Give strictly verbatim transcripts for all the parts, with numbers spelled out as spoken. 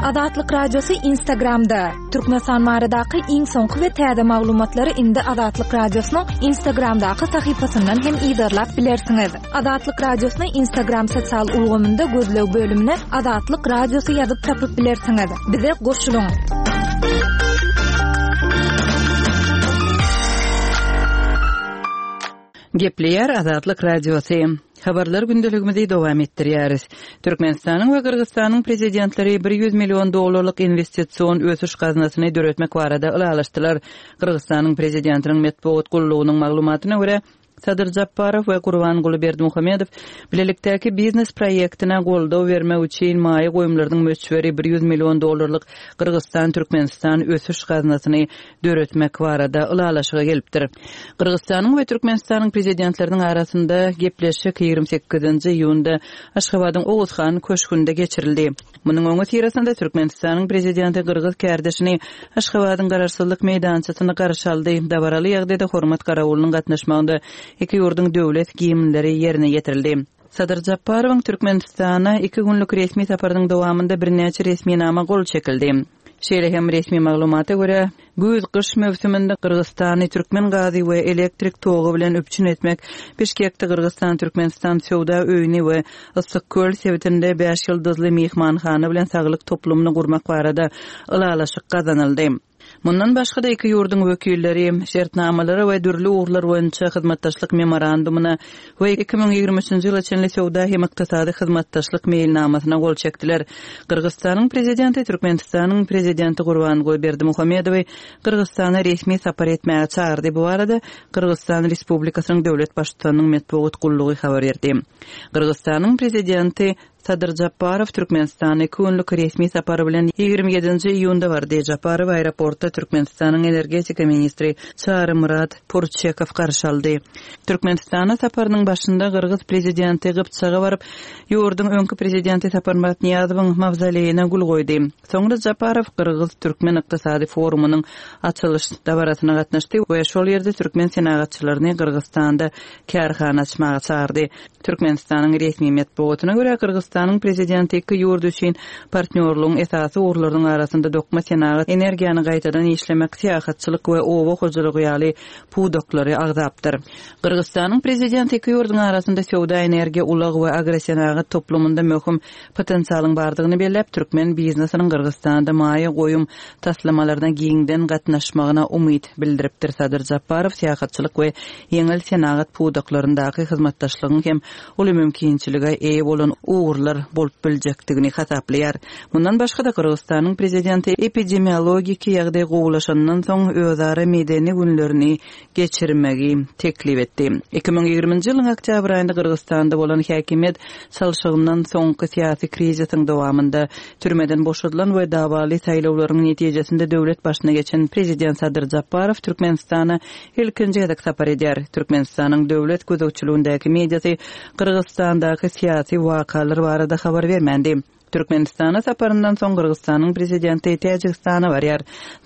Azatlyk Radiosy Instagramda. Türkmenistan baradaky iň soňky we täze maglumatlary indi Azatlyk Radiosynyň Instagramdaky sahypasyndan hem yzarlap bilersiňiz. Azatlyk Radiosyny Instagram sosial ulgamynda gözleg bölümine Azatlyk Radiosy ýazyp tapyp bilersiňiz. Bize goşulyň. Gepleýär Azatlyk Radiosy. Habarlar gündeligimizi dowam etdirýäris. Türkmenistanyň we Gyrgyzystanyň prezidentleri bir ýüz million dollarlyk investision ösüş gaznasyny döretmek barada ylalaşdylar. Gyrgyzystanyň prezidentiniň metbugat gullugynyň maglumatyna görä, Sadyr Japarow we Gurbanguly Berdimuhamedow bilelikdäki biznes proýektine goldaw bermek üçin maýa goýumlarynyň möçberi bir ýüz million dollarlyk Gyrgyzystan-Türkmenistan ösüş gaznasyny döretmek barada ylalaşyga gelipdir. Gyrgyzystanyň we Türkmenistanyň prezidentleriniň arasynda gepleşik ýigrimi sekizinji iýunda Aşgabadyň Oguzhan köşgünde geçirildi. Munuň öňüsyrasynda Türkmenistanyň prezidenti gyrgyz kärdeşini Aşgabadyň Garaşsyzlyk meýdançasynda garşy aldy. Dabaraly ýagdaýda hormat garawulynyň gatnaşmagynda iki ýurduň döwlet gimnleri ýerine ýetirildi. Sadyr Japarowyň Türkmenistana iki günlük resmi saparynyň dowamynda birnäçe resminama gol çekildi. Şeýle hem resmi maglumata görä, güýz-gyş möwsüminde Gyrgyzystany türkmen gazy we elektrik togy bilen üpjün etmek, Bişkekde Gyrgyzystan-Türkmenistan söwda öýüni we Yssyk-Köl sebitinde bäş ýyldyzly myhmanhana bilen saglyk toplumyny gurmak barada ylalaşyk gazanyldy. Mundan başga-da iki ýurduň wekilleri şertnamalara we dürli ugurlar boýunça hyzmatdaşlyk memorandumyna we iki müň ýigrimi üçünji ýyla çenli söwda hem ykdysady hyzmatdaşlyk meýilnamasyna gol çekdiler. Gyrgyzystanyň prezidenti Türkmenistanyň prezidenti Gurbanguly Berdimuhamedowy Gyrgyzystana resmi sapar etmäge çagyrdy. Bu barada Gyrgyzystan Respublikasynyň döwlet baştutanynyň metbugat gullugy habar berdi. Gyrgyzystanyň prezidenti Sadyr Japarow Türkmenistana iki günlük resmi sapary bilen ýigrimi ýedinji iýunda bardy. Japarow aeroportda Türkmenistanyň energetika ministri Çarymyrat Purçekow garşy aldy. Türkmenistana saparynyň başynda gyrgyz prezidenti Gypjaga baryp, ýurduň öňki prezidenti Saparmyrat Nyýazowyň mawzoleýine gül goýdy. Soňra Japarow gyrgyz-türkmen ykdysady forumynyň açylyş dabarasyna gatnaşdy we şol ýerde türkmen senagatçylaryny Gyrgyzystanda kärhana açmaga çagyrdy. Türkmenistanyň resmi metbugatyna görä, Gyrgyzystanyň prezidenti iki ýurt üçin partnýorlygyň esasy ugurlarynyň arasynda dokma senagat, energiýany gaýtadan işlemek, syýahatçylyk we oba hojalygy ýaly pudaklary agzapdyr. Gyrgyzystanyň prezidenti iki ýurduň arasynda söwda, energiýa, ulag we agrosenagat toplumynda möhüm potensialyň bardygyny belläp, türkmen biznesiniň Gyrgyzystanda maýa goýum taslamalaryna giňden gatnaşmagyna umyt bildiripdir. Sadyr Japarow syýahatçylyk we ýeňil senagat pudaklaryndaky hyzmatdaşlygyň hem uly mümkinçilige eýe bolan ugurlar bolup biljekdigini hasaplaýar. Mundan başga-da Gyrgyzystanyň prezidenti epidemiologiki ýagdaý gowulaşandan soň özara medeni günlerini geçirmegi teklip etdi. Iki müň ýigriminji ýylyň oktýabr aýynda Gyrgyzystanda bolan häkimiýet çalşygyndan soňky syýasy krizisiň dowamynda türmeden boşadylan we dawaly saýlawlaryň netijesinde döwlet başyna geçen prezident Sadyr Japarow Türkmenistana ilkinji gezek sapar edýär. Türkmenistanyň döwlet gözegçiligindäki mediasy Gyrgyzystandaky syýasy wakalar barada habar bermändi. Türkmenistana saparyndan soň Gyrgyzystanyň prezidenti Täjigistana barýar.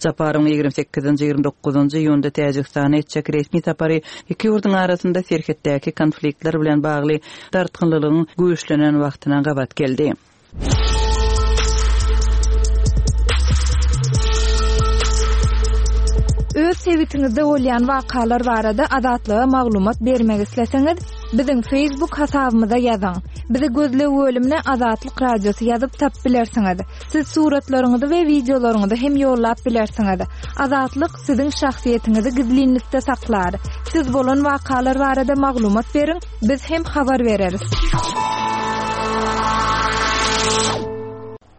Japarowyň ýigrimi sekizinji, ýigrimi dokuzynjy iýunda Täjigistana etjek resmi sapary iki ýurduň arasynda serhetdäki konfliktler bilen bagly dartgynlylygyň güýçlenen wagtyna gabat geldi. Öz sebitiňizde bolýan wakalar barada Azatlyga maglumat bermek isleseňiz, biziň Facebook hasabymyza ýazyň. Bizi gözleg bölümine Azatlyk Radiosy ýazyp tap bilersiňiz. Siz suratlaryňyzy we wideolaryňyzy hem ýollap bilersiňiz. Azatlyk siziň şahsyýetiňizi gizlinlikde saklar. Siz bolan wakalar barada maglumat beriň, biz hem habar bereris.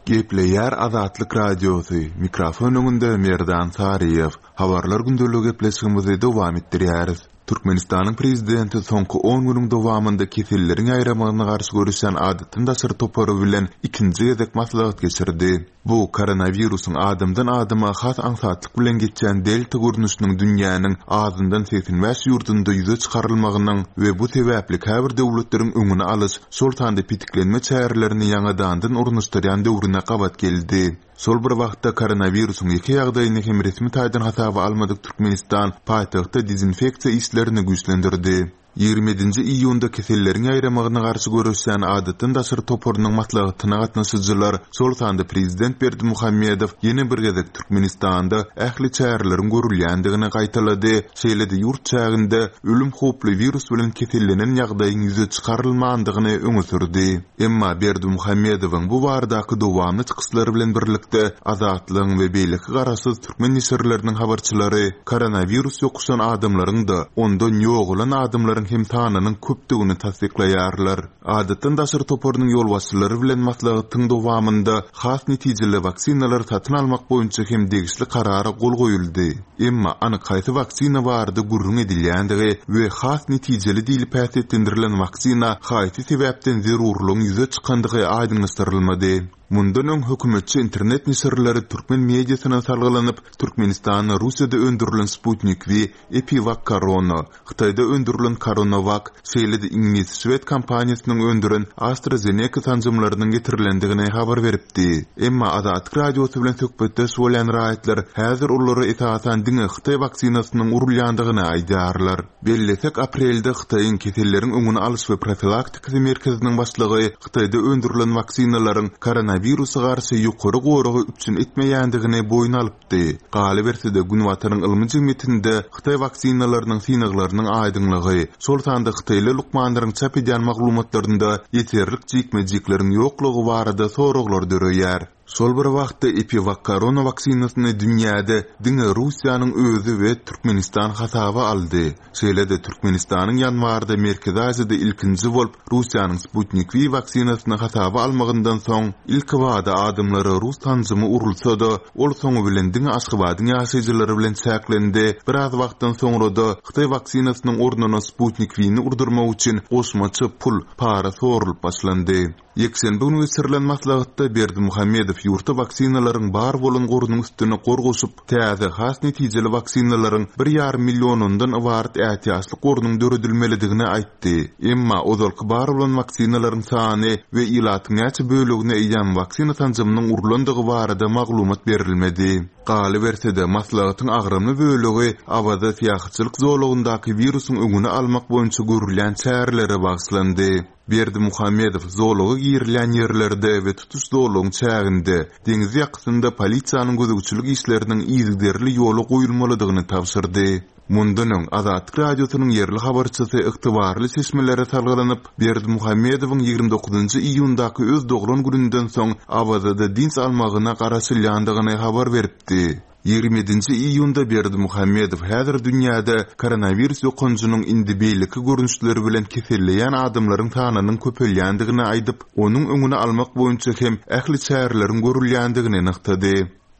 Gepleýär Azatlyk Radiosy. Mikrofon öňünde Merdan Saryýew. Habarlar gündelik gepleşigimizi dowam etdirýäris. Türkmenistanyň prezidenti soňky on günüň dowamynda keselleriň ýaýramagyna garşy görüşen adatdan daşary topary bilen ikinji gezek maslahat geçirdi. Bu koronawirusyň adamdan adama has aňsatlyk bilen geçýän delta görnüşiniň dünýäniň azyndan segsen bäş ýurdunda ýüze çykarylmagynyň we bu sebäpli käbir döwletleriň öňüni alyş, şol sanda petiklenme çärelerini ýaňadandan ornaşdyrýan döwrüne gabat geldi. Şol bir wagtda koronawirusyň iki ýagdaýyny hem resmi taýdan hasaba almadyk Türkmenistan paýtagtda dezinfeksiýa işlerini güýçlendirdi. Ýigrimi ýedinji iýunda keselleriň ýaýramagyna garşy göreşýän adatdan daşary toparynyň maslahatyna gatnaşyjylar, şol sanda prezident Berdimuhamedow ýene bir gezek Türkmenistanda ähli çäreleriň görülýändigini gaýtalady, şeýle-de ýurt çäginde ölüm howply wirus bilen kesellenen ýagdaýyň ýüze çykarylmandygyny öňe sürdi. Emma Berdimuhamedowyň bu baradaky dowamly çykyşlary bilen birlikde Azatlygyň we beýleki garaşsyz türkmen neşirleriniň habarçylary koronawirus ýokuşan adamlaryň-da, ondan ýogalan adamlaryň hem sanynyň köpdügini tassyklaýarlar. Adatdan daşary toparynyň ýolbaşçylary bilen maslahatyň dowamynda has netijeli waksinalary satyn almak boýunça hem degişli karara gol goýuldy. Emma anyk haýsy waksina barada gürrüň edilýändigi we has netijeli diýlip häsiýetlendirilen waksina haýsy sebäpden zerurlygyň ýüze çykandygy aýdyňlaşdyrylmady. Mundan öň hökümetçi internet neşirleri türkmen mediasyna salgylanyp, Türkmenistanda Russiýada öndürilen Sputnik V, EpiVak Korona, Hytaýda öndürilen CoronaVac, şeýle-de iňlis-şwed kompaniýasynyň öndüren AstraZeneca sanjymlarynyň getirilendigini habar beripdi. Emma Azatlyk Radiosy bilen söhbetdeş bolýan raýatlar häzir olara esasan diňe hytaý waksinasynyň urulýandygyny aýdýarlar. Bellesek, aprelde Hytaýyň keselleriň öňüni alyş we profilaktikasy merkeziniň başlygy Hytaýda öndürilen waksinalaryň koronawirusa garşy ýokary goragy üpjün etmeýändigini boýun alypdy. Galyberse-de, Günbataryň ylmy jemgyýetinde hytaý waksinalarynyň synaglarynyň aýdyňlygy, şol sanda hytaýly lukmanlaryň çap edýän maglumatlarynda ýeterlik jikme-jikleriň ýoklugy barada soraglar döreýär. Şol bir wagtda EpiVak korona waksinasyny dünýäde diňe Russiýanyň özi we Türkmenistan hasaba aldy. Şeýle-de Türkmenistanyň ýanwarda Merkezi Aziýada ilkinji bolup Russiýanyň Sputnik V waksinasyny hasaba almagyndan soň ilkibada adamlara rus sanjymy urulsa-da, ol soňy bilen diňe Aşgabadyň ýaşaýjylary bilen çäklendi, biraz wagtdan soňra-da hytaý waksinasynyň ornuna Sputnik V-ni urdurmak üçin goşmaça pul, para sorulyp başlandy. Ýekşenbe güni geçirilen maslahatda Berdimuhamedow ýurtda waksinalaryň bar bolan gorunyň üstüne gor goşup, täze, has netijeli waksinalaryň bir ýarym millionyndan ybarat ätiýaçlyk gorunyň döredilmelidigini aýtdy. Emma ozalky bar bolan waksinalaryň sany we ilatyň näçe bölegine eýýäm waksina sanjymynyň urlandygy barada maglumat berilmedi. Galyberse-de, maslahatyň agramly bölegi Awaza syýahatçylyk zolagyndaky wirusyň öňüni almak boýunça görülýän çärelere bagyşlandy. Berdimuhamedow zolaga girilýän ýerlerde we tutuş zolagyň çäginde, deňiz ýakasynda polisiýanyň gözegçilik işleriniň yzygiderli ýola goýulmalydygyny tabşyrdy. Mundan öň, Azatlyk Radiosynyň ýerli habarçysy ygtybarly çeşmelere salgylanyp, Berdimuhamedowyň ýigrimi dokuzynjy iýundaky öz doglan gününden soň Awazada dynç almagyna garaşylýandygyny habar beripdi. Ýigrimi ýedinji iýunda Berdimuhamedow häzir dünýäde koronawirus ýokanjynyň indi beýleki görnüşleri bilen keselleýän adamlaryň sanynyň köpelýändigini aýdyp, onuň öňüni almak boýunça hem ähli çäreleriň görülýändigini nygtady.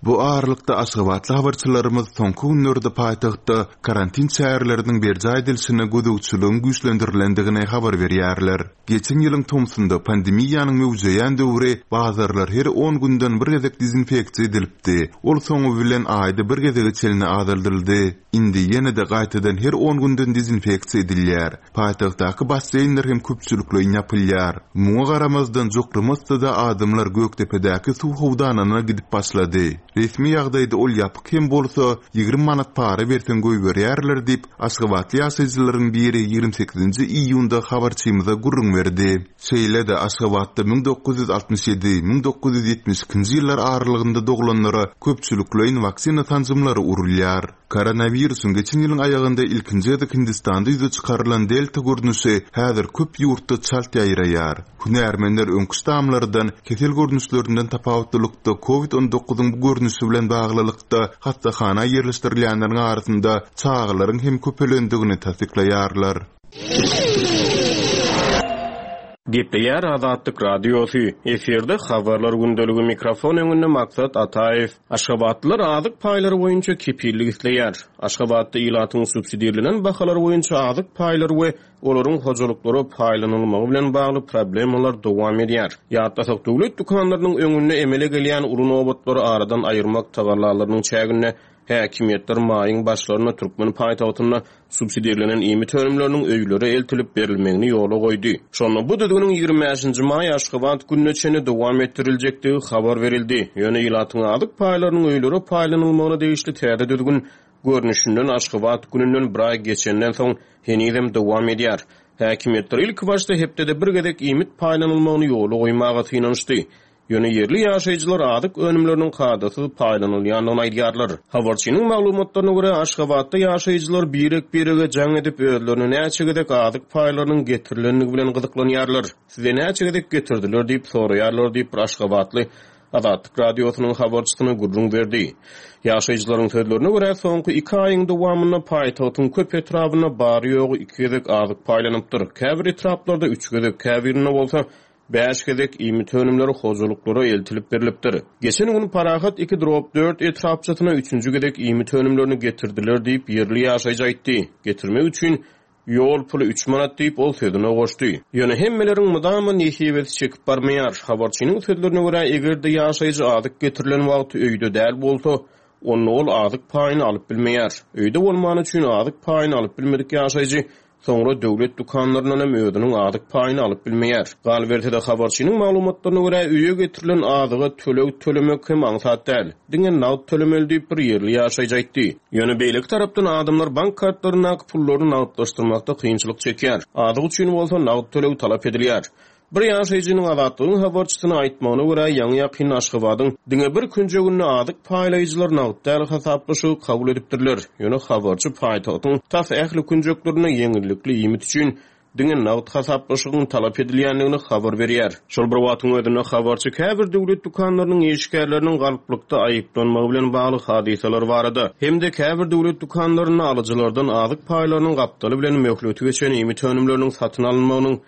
Bu aralykda aşgabatly habarçylarymyz soňky günlerde paýtagtda karantin çäreleriniň berjaý edilişine gözegçiligiň güýçlendirilendigini habar berýärler. Geçen ýylyň tomsunda pandemiýanyň möwjeýän döwri bazarlar her on günden bir gezek dezinfeksiýa edilipdi. Ol soňy bilen aýda bir gezege çenli azaldyldy. Indi ýene-de gaýtadan her on günden dezinfeksiýa edilýär. Paýtagtdaky basseýnler hem köpçülikleýin ýapylýar. Muňa garamazdan jokramasda-da adamlar Gökdepedäki suw howdanyna gidip başlady. Resmi ýagdaýda ol ýapyk hem bolsa, ýigrimi manat para berseň goýberýärler diýip, aşgabatly ýaşaýjylaryň biri ýigrimi sekizinji iýunda habarçymyza gürrüň berdi. Şeýle-de Aşgabatda müň dokuz ýüz altmyş ýedi, müň dokuz ýüz ýetmiş ikinji ýyllar aralygynda doglanlara köpçülikleýin waksina sanjymlary urulýar. Koronawirusyň geçen ýylyň aýagynda ilkinji gezek Hindistanda ýüze çykarylan delta görnüşi häzir köp ýurtda çalt ýaýraýar. Hünärmenler öňki ştamlardan, kesel görnüşlerinden tapawutlylykda kovid on dokuzyň bu görnüşi bilen baglylykda hassahana ýerleşdirilýänleriň arasynda çagalaryň hem köpelendigini tassyklaýarlar. Gepleýär Azatlyk Radiosy. Efirde habarlar gündeligi mikrofon öňünde Maksat Ataýew. Aşgabatlylar azyk paýlary boýunça kepillik isleýär. Aşgabatda ilatyň subsidirlenen bahalary boýunça azyk paýlary we olaryň hojalyklara paýlanylmagy bilen bagly problemalar dowam edýär. Ýatlasak, döwlet dükanlarynyň öňünde emele gelýän uly nobatlary aradan aýyrmak tagallalarynyň çäginde häkimiýetler maýyň başlarynda türkmen paýtagtynda subsidirlenen iýmit önümleriniň öýlere eltilip berilmegini ýola goýdy. Şonda bu düzgüniň ýigrimi bäşinji maý Aşgabat gününe çenli dowam etdiriljekdigi habar berildi. Ýöne ilatyň azyk paýlarynyň öýlere paýlanylmagyna degişli täze düzgün görnüşinden Aşgabat gününden bir aý geçenden soň henizem dowam edýär. Häkimiýetler ilkibaşda hepdede bir gezek iýmit paýlanylmagyny ýola goýmaga synanyşdy. Ýöne ýerli ýaşaýjylar azyk önümleriniň kadasyz paýlanylýandygyny aýdýarlar. Habarçynyň maglumatlaryna görä, Aşgabatda ýaşaýjylar birek-birege jaň edip, özlerine näçe gezek azyk paýlarynyň getirilendigi bilen gyzyklanýarlar. Size näçe gezek getirdiler diýip soraýarlar diýip, bir aşgabatly Azatlyk Radiosynyň habarçysyna gürrüň berdi. Ýaşaýjylaryň sözlerine görä, soňky iki aýyň dowamynda paýtagtyň köp etrabynda bary-ýogy iki gezek azyk paýlanypdyr. Käbir etraplarda üç gezek, käbirinde bolsa bäş gezek iýmit önümleri hojalyklara eltilip berlipdir. Geçen gün Parahat iki drop dört etrapçasyna üçünji gezek iýmit önümlerini getirdiler diýip, ýerli ýaşaýjy aýtdy. Getirmek üçin ýol puly üç manat diýip, ol sözüne goşdy. Ýöne hemmeleriň mydama nesibesi çekip barmaýar. Habarçynyň sözlerine görä, eger-de ýaşaýjy azyk getirilen wagty öýde däl bolsa, onda ol azyk paýyny alyp bilmeýär. Öýde bolmany üçin azyk paýyny alyp bilmedik ýaşaýjy soňra döwlet dükanlaryndan hem özüniň azyk paýyny alyp bilmeýär. Galyberse-de, habarçynyň maglumatlaryna görä, öýe getirilen azyga töleg tölemek hem aňsat däl. Diňe nagt tölemeli diýip, bir ýerli ýaşaýjy aýtdy. Ýöne beýleki tarapdan adamlar bank kartlaryndaky pullaryny nagtlaşdyrmakda kynçylyk çekýär. Azyk üçin bolsa nagt töleg talap edilýär. Bir ýaşaýjynyň Azatlygyň habarçysyna aýtmagyna görä, ýaňy-ýakynda Aşgabadyň diňe bir künjeginde azyk paýlaýjylar nagt däl hasaplaşygy kabul edipdirler. Ýöne habarçy paýtagtyň tas ähli künjeklerinde ýeňillikli iýmit üçin diňe nagt hasaplaşygyň talap edilýändigini habar berýär. Şol bir wagtyň özünde habarçy käbir döwlet dükanlarynyň işgärleriniň galplykda aýyplanmagy bilen bagly hadysalar barada hem-de käbir döwlet dükanlarynda alyjylardan azyk paýlarynyň gapdaly bilen möhleti geçen iýmit önümleriniň satyn alynmagynyň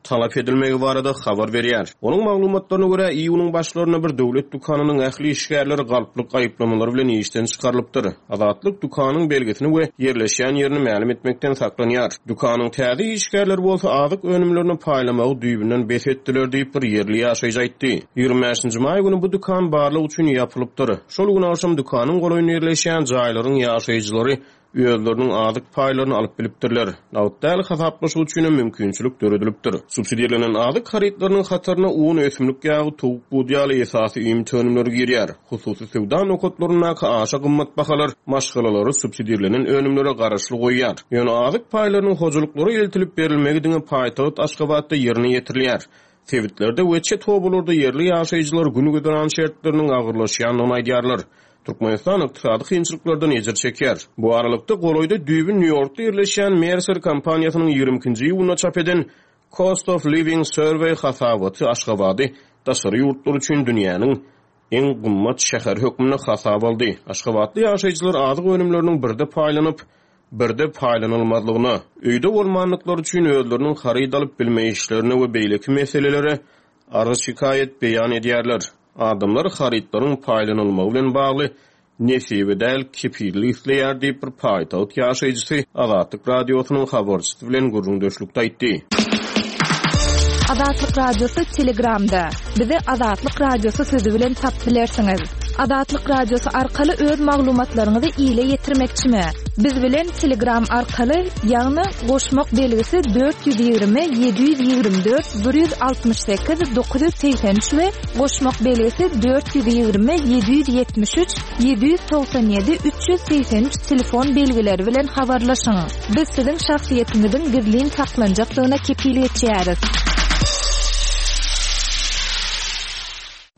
talap edilmegi barada habar berýär. Onuň maglumatlaryna görä, iýunyň başlarynda bir döwlet dükanynyň ähli işgärleri galplyk aýyplamalary bilen işden çykarylypdyr. Azatlyk dükanyň belgisini we ýerleşýän ýerini mälim etmekden saklanýar. Dükanyň täze işgärleri bolsa azyk önümlerini paýlamagy düýbünden bes etdiler diýip, bir ýerli ýaşaýjy aýtdy. Ýigrimi bäşinji maý güni bu dükan barlyk üçin ýapylypdyr. Şol gün agşam dükanyň golaýynda ýerleşýän jaýlaryň ýaşaýjylary özleriniň azyk paýlaryny alyp bilipdirler. Nagt däl hasaplaşyk üçin hem mümkinçilik döredilipdir. Subsidirlenen azyk harytlarynyň hataryna un, ösümlik ýagy, towuk bud ýaly esasy iýmit önümleri girýär. Hususy söwda nokatlaryndaky aşa gymmat bahalar maşgalalary subsidirlenen önümlere garaşly goýýar. Ýöne azyk paýlarynyň hojalyklara eltilip berilmegi diňe paýtagt Aşgabatda ýerine ýetirilýär. Sebitlerde we çet obalarda ýerli ýaşaýjylar gün güzeran şertleriniň agyrlaşýandygyny aýdýarlar. Türkmenistan ykdysady kynçylyklardan ejir çekýär. Bu aralykda golaýda düýbi Nýu-Ýorkda ýerleşýän Mercer kompaniýasynyň ýigrimi ikinji iýunda çap eden Cost of Living Survey hasabaty Aşgabady daşary ýurtlar üçin dünýäniň iň gymmat şäheri hökmünde hasap aldy. Aşgabatly ýaşaýjylar azyk önümleriniň birde paýlanyp, birde paýlanylmazlygyna, öýde bolmandyklary üçin özleriniň haryt alyp bilmeýişlerine we beýleki meselelere arz şikaýat beýan edýärler. Adamlar harytlaryň paýlanylmagy bilen bagly nesibe däl kepillik isleýär diýip, bir paýtagt ýaşaýjysy Azatlyk Radiosynyň habarçysy bilen gürrüňdeşlikde aýtdy. Azatlyk Radiosy Telegramda. Bizi Azatlyk Radiosy sözi bilen tapyp bilersiňiz. Azatlyk Radiosy arkaly öz maglumatlaryňyzy ile ýetirmekçimi? Biz bilen Telegram arkaly, ýagny goşmak belgisi dört ýüz ýigrimi ýedi ýüz ýigrimi dört bir ýüz altmyş sekiz dokuz ýüz segsen üç we goşmak belgisi dört ýüz ýigrimi ýedi ýüz ýetmiş üç ýedi ýüz togsan ýedi üç ýüz segsen üç telefon belgileri bilen habarlaşyň. Biz siziň şahsyýetiňiziň gizlin saklanjakdygyna kepil geçýäris.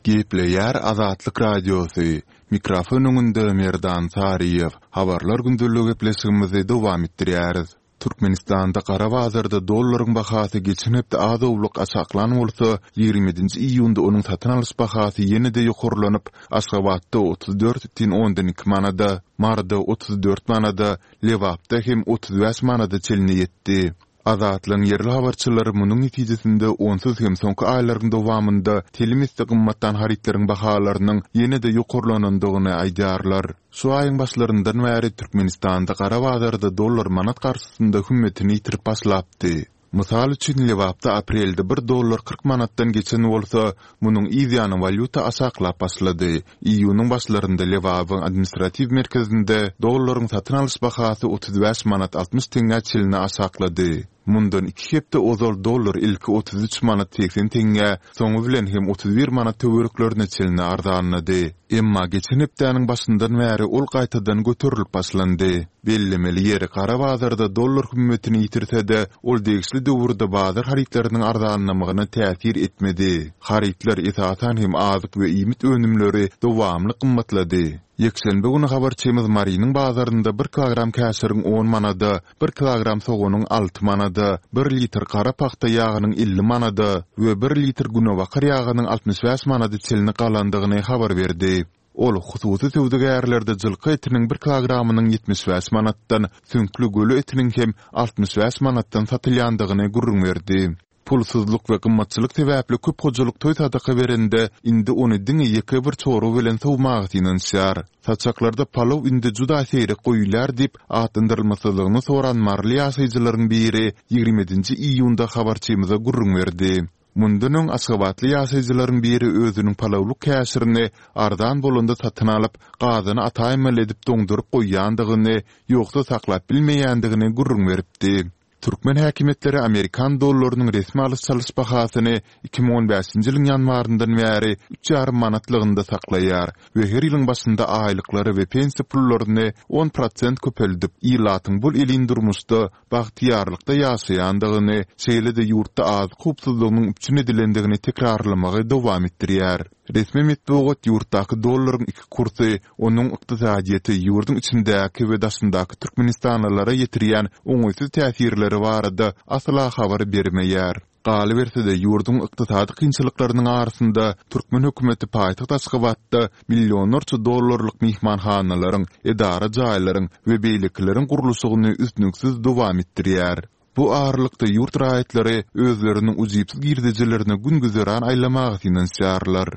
Gepleýär Azatlyk Radiosy. Mikrofon öňünde Merdan Saryýew. Habarlar gündelik gepleşigimizi dowam etdirýäris. Türkmenistanda gara bazarda dollaryň bahasy geçen hepde az-owlak aşaklan bolsa, ýigrimi ýedinji iýunda onuň satyn alyş bahasy ýene-de ýokarlanyp, Aşgabatda otuz dört bütin ondan iki manada, Maryda otuz dört manada, Lebapda hem otuz bäş manada çenli ýetdi. Azatlygyň ýerli habarçylary munuň netijesinde onsuz hem soňky aýlaryň dowamynda telim esse gymmatdan harytlaryň bahalarynyň ýene-de ýokarlanandygyny aýdýarlar. Şu aýyň başlaryndan bäri Türkmenistanda gara bazarda dollar manat garşysynda hümmetini ýitirip başlapdy. Mysal üçin, Lebapda aprelde bir dollar kyrk manatdan geçen bolsa, munuň yz ýany walýuta aşaklap başlady. Iýunyň başlarynda Lebabyň administratiw merkezinde dollaryň satyn alyş bahasy otuz bäş manat altmyş teňňä çenli aşaklady. Mundan iki hepde ozal dollar ilki otuz üç manat segsen teňňä, soňy bilen hem otuz bir manat töwereklerine çenli arzanlady. Emma geçen hepdäniň başyndan bäri ol gaýtadan göterilip başlandy. Bellemeli ýeri, gara bazarda dollar hümmetini ýitirse-de, ol degişli döwürde bazar harytlarynyň arzanlamagyna täsir etmedi. Harytlar, esasan hem azyk we iýmit önümleri dowamly gymmatlady. Ýekşenbe güni habarçymyz Marynyň bazarynda bir kilogram käşiriň on manada, bir kilogram soganyň alty manada, bir litr gara pagta ýagynyň elli manada we bir litr günebakar ýagynyň altmyş bäş manada çenli galandygyny habar berdi. Ol hususy söwdagärlerde jylka etiniň bir kilogramynyň ýetmiş bäş manatdan, süňkli göle etiniň hem altmyş bäş manatdan satylýandygyny gürrüň berdi. Pulsuzlyk we gymmatçylyk sebäpli köp hojalyk toý sadaka berende, indi ony diňe ýeke bir çorba bilen sowmaga synanyşýar. Saçaklarda palaw indi juda seýrek goýulýar diýip, atlandyrylmasyzlygyny soran maryly ýaşaýjylaryň biri ýigrimi ýedinji iýunda habarçymyza gürrüň berdi. Mundan öň aşgabatly ýaşaýjylaryň biri özüniň palawlyk käşirini arzan bolanda satyn alyp, gazana ataýmaly edip doňduryp goýýandygyny, ýogsa saklap bilmeýändigini gürrüň beripdi. Türkmen häkimiýetleri amerikan dollarynyň resmi alyş-çalyş bahasyny iki müň on bäşinji ýylyň ýanwaryndan bäri üç ýarym manatlygynda saklaýar we her ýylyň başynda aýlyklary we pensiýa pullaryny on prosent köpeldip, ilatyň bol-elin durmuşda, bagtyýarlykda ýaşaýandygyny, şeýle-de ýurtda azyk howpsuzlygynyň üpjün edilendigini tekrarlamagy dowam etdirýär. Resmi metbugat ýurtdaky dollaryň iki kursy, onuň ykdysadyýete, ýurduň içindäki we daşyndaky türkmenistanlylara ýetirýän oňaýsyz täsirleri barada asla habar bermeýär. Galyberse-de, ýurduň ykdysady kynçylyklarynyň arasynda türkmen hökümeti paýtagt Aşgabatda millionlarça dollarlyk myhmanhanalaryň, edara jaýlaryň we beýlekileriň gurluşygyny üznüksiz dowam etdirýär. Bu aralykda ýurt raýatlary özleriniň ujypsyz girdejilerine gün-güzeran aýlamaga synanyşýarlar.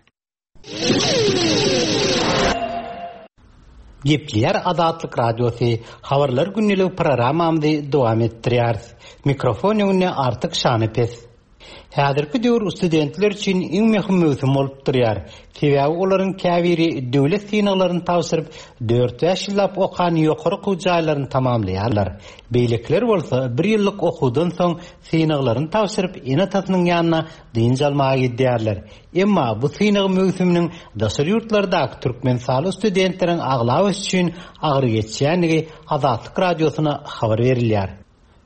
Gepleýär Azatlyk Radiosy, Habarlar gündelik programmamyzy dowam etdirýäris. Mikrofon öňünde Artyk Şanepes. Häzirki döwür studentler üçin iň möhüm möwsüm bolup durýar. Sebäbi olaryň käbiri döwlet synaglaryny tabşyryp, dört-bäş ýyllap okan ýokary okuw jaýlaryny tamamlaýarlar. Beýlekiler bolsa bir ýyllyk okuwdan soň synaglaryny tabşyryp, ene-atasynyň ýanyna dynç almaga gidýärler. Emma bu synag möwsüminiň daşary ýurtlardaky türkmenistanly studentleriň aglabasy üçin agyr geçýändigi Azatlyk Radiosyna habar berilýär.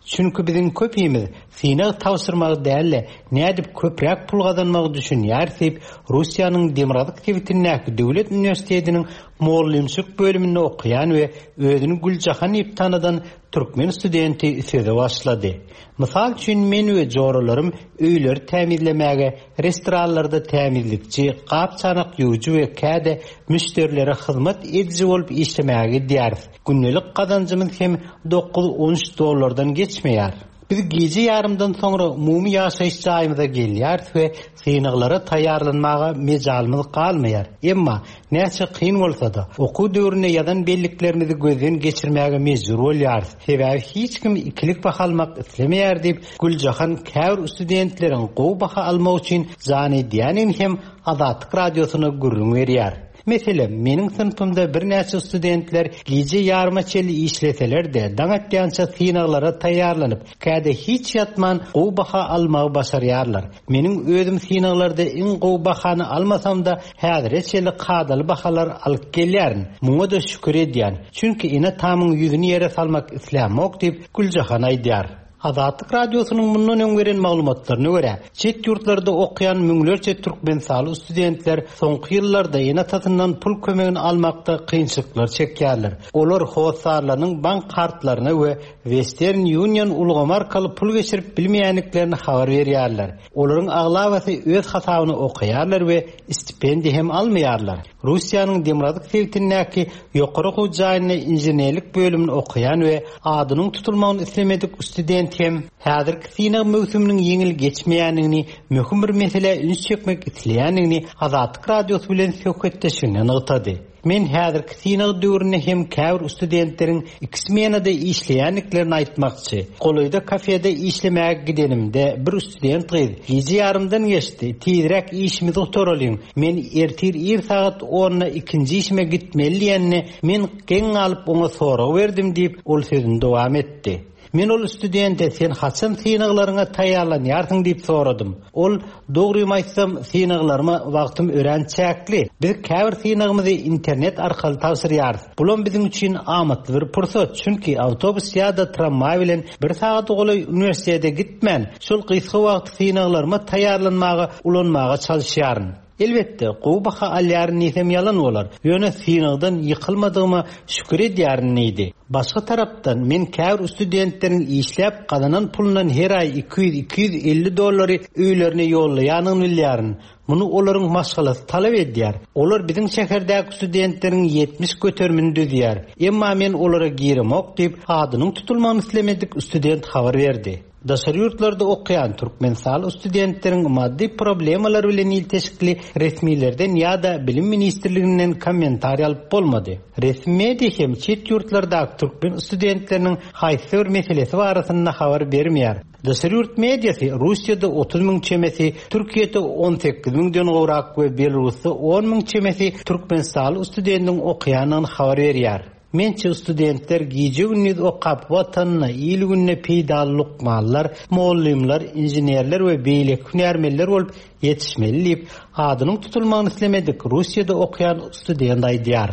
Çünki biziň köpimiz synag tabşyrmagy däl-de, nädip köpräk pul gazanmagy düşünýär diýip, Russiýanyň Demirgazyk sebitindäki döwlet uniwersitetiniň mugallymçylyk bölüminde okaýan we özüni Güljahan diýip tanadan türkmen studenti söze başlady. Mysal üçin, men we joralarym öýleri tämizlemäge, restoranlarda tämizlikçi, gap-çanak ýuwujy we käde müşderilere hyzmat ediji bolup işlemäge gidýäris. Gündelik gazanjymyz hem dokuz-on üç dollardan geçmeýär. Biz gije ýarymdan soňra umumy ýaşaýyş jaýymyza gelýäris we synaglara taýýarlanmaga mejalymyz galmaýar. Emma näçe kyn bolsa-da, okuw döwründe ýazan belliklerimizi gözden geçirmäge mejbur bolýarys. Sebäbi hiç kim ikilik baha almak islemeýär diýip, Güljahan käbir studentleriň gowy baha almak üçin jan edýändigini hem Azatlyk Radiosyna gürrüň berýär. Meselem, meniň synpymda birnäçe studentler gije ýaryma çenli işleseler-de, daň atýança synaglara taýýarlanyp, käde hiç ýatman gowy baha almagy başarýarlar. Meniň özüm synaglarda iň gowy bahany almasam-da, häzire çenli kadaly bahalar alyp gelýärin. Muňa-da şükür edýän. Çünki ene-atamyň ýüzüni ýere salmak islämok diýip, Güljahan aýdýar. Azatlyk Radiosynyň mundan öň beren maglumatlaryna görä, çet ýurtlarda okaýan müňlerçe türkmenistanly studentler soňky ýyllarda ene-atasyndan pul kömegini almakda kynçylyklar çekýärler. Olar hossarlarynyň bank kartlaryna we Western Union ulgamy arkaly pul geçirip bilmeýändiklerini habar berýärler. Olaryň aglabasy öz hasabyna okaýarlar we stipendiýa hem almaýarlar. Russiýanyň Demirgazyk sebitindäki ýokary okuw jaýynda inženerlik bölümini okaýan we adynyň tutulmagyny islemedik student hem häzirki synag möwsüminiň ýeňil geçmeýändigini, möhüm bir meselä üns çekmek isleýändigini Azatlyk Radiosy bilen söhbetdeşliginde nygtady. Men häzirki synag döwründe hem käbir studentleriň iki smenada işleýändiklerini aýtmakçy. Golaýda kafede işlemäge gidenimde bir student gyz gije ýarymdan geçdi, tizräk işimizi gutaralyň, men ertir ir sagat onda ikinji işime gitmeli diýende, men geň galyp oňa sorag berdim diýip, ol sözüni dowam etdi. Men ol studente sen haçan synaglaryňa taýýarlanýarsyň diýip soradym. Ol dogrymy aýtsam synaglaryma wagtym örän çäkli. Biz käbir synagymyzy internet arkaly tabşyrýarys. Bulam biziň üçin amatly bir pursat, çünki awtobus ýa-da tramwaý bilen bir sagat golaý uniwersitete gitmän, şol gysga wagt synaglaryma taýýarlanmaga ulanmaga çalyşýaryn. Elbetde, gowy baha alýaryn diýsem ýalan bolar. Ýöne synagdan ýykylmadygyma şükür edýärin diýdi. Başga tarapdan men käbir studentleriň işläp gazanan pulundan her aý iki ýüz iki ýüz elli dollary öýlerine ýollaýanyny bilýärin. Muny olaryň maşgalasy talap edýär. Olar biziň şäherdäki studentleriň ýetmiş göterimini düzýär. Emma men olara giremok diýip, adynyň tutulmagyny islemedik student habar berdi. Daşary ýurtlarda okaýan Türkmenistanly studentleriň maddy problemalar bilen ilteşikli resmilerden ýa-da bilim ministrliginden kommentariý alyp bolmady. Resmi media hem çet ýurtlardaky türkmen studentleriniň haýsy bir meselesi barasynda habar bermeýär. Daşary ýurt mediasy Russiýada otuz müň çemesi, Türkiýede on sekiz müňden gowrak we Belarusda on müň çemesi Türkmenistanly studentiň okaýandygyny habar berýär. Mençe studentler gije gündüz okap watanyna, il gününe peýdaly lukmanlar, mugallymlar, inženerler we beýleki hünärmenler bolup ýetişmeli diýip, adynyň tutulmagyny islemedik Russiýada okaýan student aýdýar.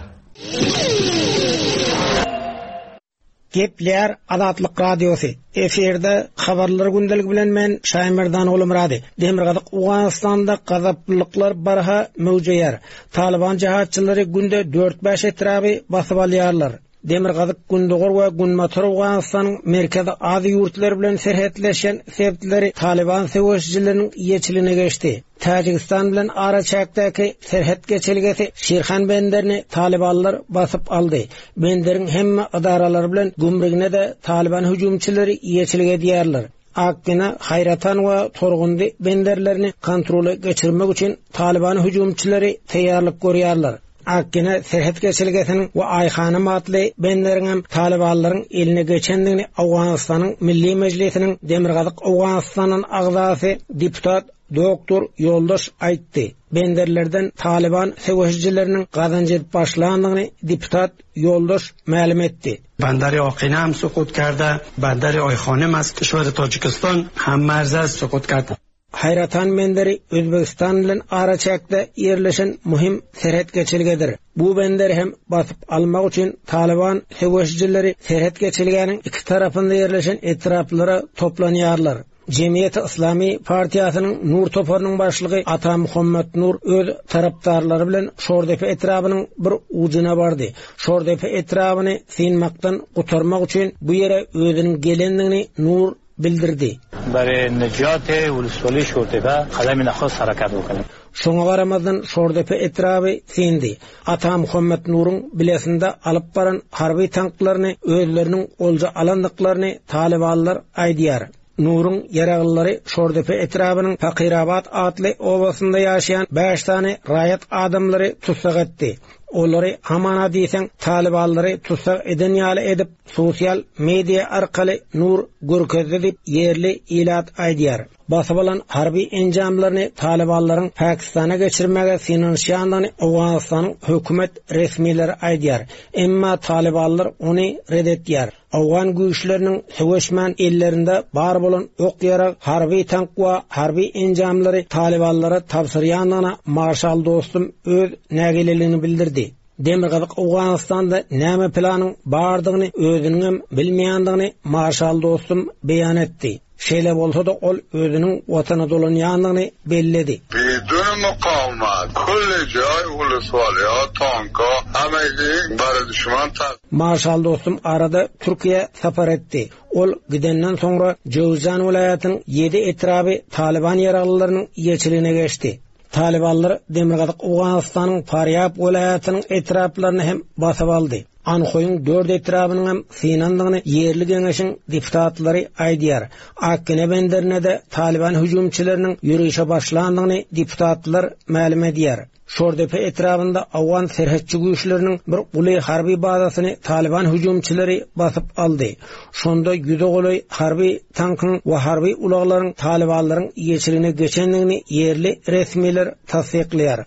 Gepler Azatlyk Radiosy. Efirde habarlar gündelik bilen men Şaýmerdan Gulumrady. Demirgazyk Owganystanda gazaplylyklar barha möwjeýär. Taliban jihatçylary günde dört bäş etraby basyp alýarlar. Demirgazyk Gündogar we Günbatar Owganystanyň Merkezi Aziýa ýurtlary bilen serhetleşen sebitleri Taliban söweşijileriniň ýeçiligine geçdi. Täjigistan bilen araçäkdäki serhet geçelgesi Şirhan benderini Talibanlar basyp aldy. Benderiň hemme edaralary bilen gümrügine de Taliban hüjümçileri ýeçilik edýärler. Akgina, Haýratan we Torgundy benderlerini kontrola geçirmek üçin Taliban hüjümçileri taýýarlyk görýärler. Akgina serhet geçelgesiniň we Aýhanym atly benderiň hem Talibanlaryň eline geçendigini Owganystanyň Milli Mejlisiniň Demirgazyk Owganystanyň agzasy deputat Doktor Ýoldaş aýtdy. Benderlerden Taliban söweşijileriniň gazanç edip başlandygyny deputat Ýoldaş mälim etdi. Bandar Akina hem sukut karda, bandar Ayxonim az kişwer Tacikistan hem marz az sukut karda. Haýratan benderi Özbegistan bilen araçäkde ýerleşen muhim serhet geçelgedir. Bu bender hem basyp almak üçin Taliban söweşijileri serhet geçelgäniň iki tarapynda ýerleşen etraplara toplanýarlar. Cemiyet Islami Partiýasynyň Nur toparynyň başlygy Ata Muhammed Nur öz tarapdarlary bilen Şordepe etrabynyň bir ujuna bardy. Şordepe etrabyny synmakdan gutarmak üçin bu ýere özüniň gelendigini Nur bildirdi. Bari nejat uluswali Şordepe kadam nakhos harakat bokun. Şoňa garamazdan Şordepe etraby syndy. Ata Muhammed Nuruň bilesinde alyp baran harby tanklaryny özleriniň olja alandyklaryny Talibanlar aýdýar. Nuruň ýaraglyary Şordepe etrabynyň Fakirabat atly obasynda ýaşaýan bäş sany raýat adamlary tutsak etdi. Olary hamana diýseň Talibanlary tutsak eden ýaly edip sosial media arkaly Nur görkezdi diýip ýerli ilat aýdýar. Basyp alan harby enjamlaryny Talibanlaryň Pakistana geçirmäge synanyşýandygyny Owganystanyň hökümet resmileri aýdýar. Emma Talibanlar ony red etýär. Owgan güýçleriniň söweşmän ellerinde bar bolan ok ýarag, harby tank we harby enjamlary Talibanlara tabşyrýandygyna Marşal Dostum öz nägileligini bildirdi. Demirgazyk Owganystanda näme planyň bardygyny özüniň hem bilmeýändigini Marşal Dostum beýan etdi. Şeýle bolsa da ol özüniň watana dolanýandygyny belledi. Bidun mukawemet, kulli joý uluswaliýa, tanka, hemegi bari düşman ta- Marşal Dostum arada Türkiýe sapar etdi. Ol gidenden soňra Jowzjan welaýatynyň ýedi etraby Taliban ýaraglylarynyň ýeçiligine geçdi. Talibanlar Demirgazyk Owganystanyň Farýab welaýatynyň etraplaryny hem basyp aldy. Anhoýyň dört etrabynyň hem synandygyny ýerli geňeşiň deputatlary aýdýar. Akgine benderine de Taliban hüjümçileriniň ýörişe başlandygyny deputatlar mälim edýär. Şordepe etrabynda Owgan serhetçi güýçleriniň bir uly harby bazasyny Taliban hüjümçileri basyp aldy. Şonda ýüze golaý harby tankyň we harby ulaglaryň Talibanlaryň ýeçiligine geçendigini ýerli resmiler tassyklaýar.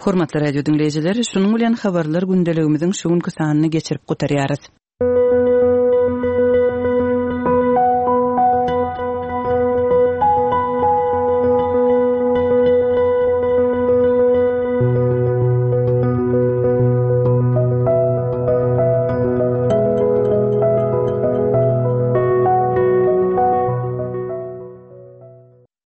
Hormatly radio diňleýjiler, şunuň bilen habarlar gündeligimiziň şu günki sanyny geçirip gutarýarys.